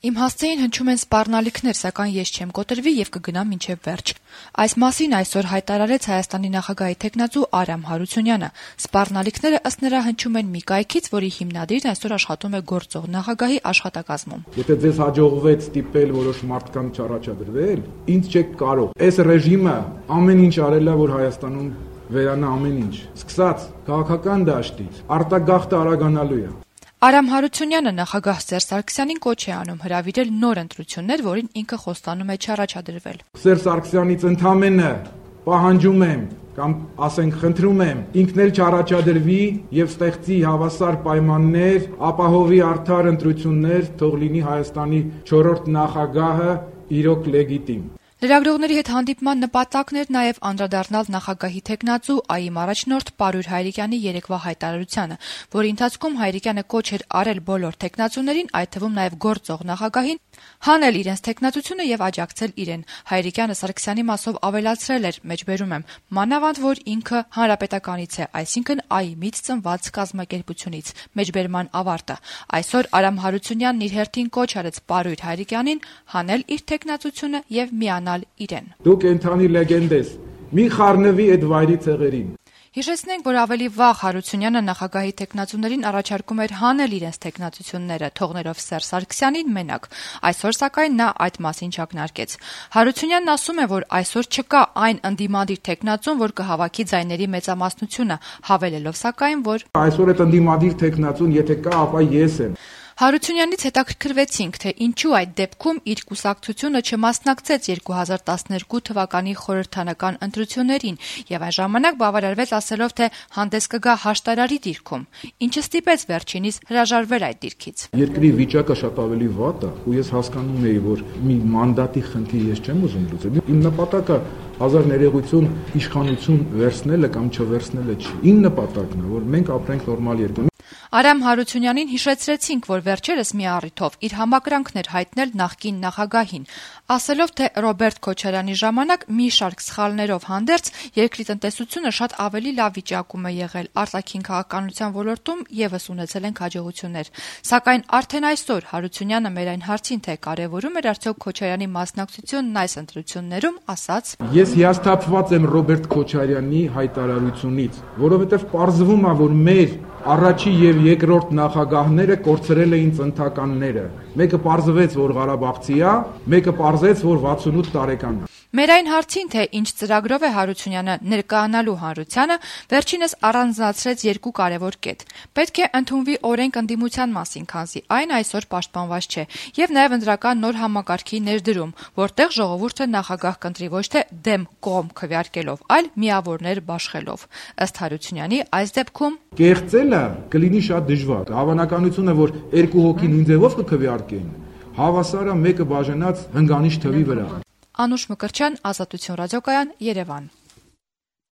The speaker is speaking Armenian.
Իմ հասցեին հնչում են սպառնալիքներ, սակայն ես չեմ կոտրվի եւ կգնամ մինչեւ վերջ։ Այս մասին այսօր հայտարարեց Հայաստանի նախագահի թեկնածու Արամ Հարությունյանը։ Սպառնալիքները ըստ նրա հնչում են մի կայքից, որի հիմնադիրն այսօր աշխատում է գործող նախագահի աշխատակազմում։ Եթե ձեզ հաջողվեց ստիպել որոշ մարդկանց առաջադրվել, ինձ չեք կարող։ Այս ռեժիմը ամեն ինչ արել է, որ Հայաստանում վերանա ամեն ինչ։ Սկսած քաղաքական դաշտից, արտագաղթը արագանալու է։ Արամ Հարությունյանը նախագահ Սերժ Սարգսյանին կոչ է անում հրավիրել նոր ընտրություններ, որին ինքը խոստանում է չառաջադրվել։ Սերժ Սարգսյանից ընդամենը պահանջում եմ կամ ասենք խնդրում եմ ինքն էլ չառաջադրվի եւ ստեղծի հավասար պայմաններ, ապահովի արդար ընտրություններ, թող լինի Հայաստանի 4-րդ նախագահը իրոք լեգիտիմ։ Լրագրողների հետ հանդիպման նպատակն էր նաև անդրադառնալ նախագահի թեկնածու ԱԻ առաջնորդ Պարույր Հայրիկյանի երեկվա հայտարարությանը, որի ընթացքում Հայրիկյանը կոչ էր արել բոլոր թեկնածուներին, այդ թվում նաև գործող նախագահին, հանել իրենց թեկնածությունը եւ աջակցել իրեն։ Հայրիկյանը Սարգսյանի մասով ավելացրել էր, մեջբերում եմ, մանավանդ որ ինքը հանրապետականից է, այսինքն ԱԻ-ից ծնված կազմակերպությունից։ Մեջբերման ավարտը։ Այսօր Արամ Հարությունյանն իր հերթին կոչ արեց Պարույր Հայրիկյանին հանել իր թեկնածությունը եւ միանալ իրեն։ Դու կենթանի լեգենդ ես, մի խառնվի այդ վայրի ցեղերին։ Հիշեցնենք, որ ավելի վաղ Հարությունյանը նախագահի թեկնածուներին առաջարկում էր հանել իրենց թեկնածությունները, թողնելով Սերժ Սարգսյանին մենակ։ Այսօր սակայն նա այդ մասին չակնարկեց։ Հարությունյանն ասում է, որ այսօր չկա այն ընդդիմադիր թեկնածուն, որ կհավաքի ձայների մեծամասնությունը, հավելելով սակայն, որ այսօր այդ ընդդիմադիր թեկնածուն եթե կա, ապա ես եմ։ Հարությունյանից հետաքրքրվեցինք, թե ինչու այդ դեպքում իր կուսակցությունը չմասնակցեց 2012 թվականի խորհրդանական ընտրություններին եւ այն ժամանակ բավարարվեց ասելով, թե հանդես կգա հաշտարարի դիրքում, ինչը ստիպեց վերջինիս հրաժարվել այդ դիրքից։ Երկրի վիճակը շատ ավելի վատ է, ու ես հասկանում եի, որ մի մանդատի խնդիր ես չեմ ուզում լուծել։ Իմ նպատակը հազար ներեգություն, իշխանություն վերցնելը կամ չվերցնելը չի։ Իմ նպատակն է, որ մենք ապրենք նորմալ երկրում։ Արամ Հարությունյանին հիշեցրեցինք, որ վերջերս մի առիթով իր համակրանքն էր հայտնել նախկին նախագահին, ասելով, թե Ռոբերտ Քոչարյանի ժամանակ մի շարք սխալներով հանդերձ երկրի տնտեսությունը շատ ավելի լավ վիճակում է եղել, արտաքին քաղաքականության ոլորտում եւս ունեցել են հաջողություններ։ Սակայն արդեն այսօր Հարությունյանը մեր այն հարցին, թե կարևորում էր արդյոք Քոչարյանի մասնակցությունն այս ընտրություններում, ասաց. Ես հիասթափված եմ Ռոբերտ Քոչարյանի հայտարարությունից, որովհետեւ պարզվում է, որ մեր առաջի եւ երկրորդ նախագահները կորցրել էին ծննդականները։ Մեկը պարզվեց, որ Ղարաբաղցի է, մեկը պարզեց, որ 68 տարեկան է։ Մեր այն հարցին, թե ինչ ծրագրով է Հարությունյանը ներկայանալու հանրությանը, վերջինս առանձնացրեց երկու կարևոր կետ։ Պետք է ընդունվի օրենք ընդդիմության մասին, քանզի այն այսօր պաշտպանված չէ, եւ նաեւ ընտրական նոր համակարգի ներդրում, որտեղ ժողովուրդը նախագահ կընտրի ոչ թե դեմ կողմ քվեարկելով, այլ միավորներ բաշխելով։ Ըստ Հարությունյանի, այս դեպքում կեղծելը կլինի շատ դժվար։ Հավանականությունը, որ երկու հոգի նույն ձևով կքվեարկեն, հավասար է մեկը բաժանած հնգանիշ թվի վրա։ Անուշ Մկրտչյան, Ազատություն ռադիոկայան, Երևան։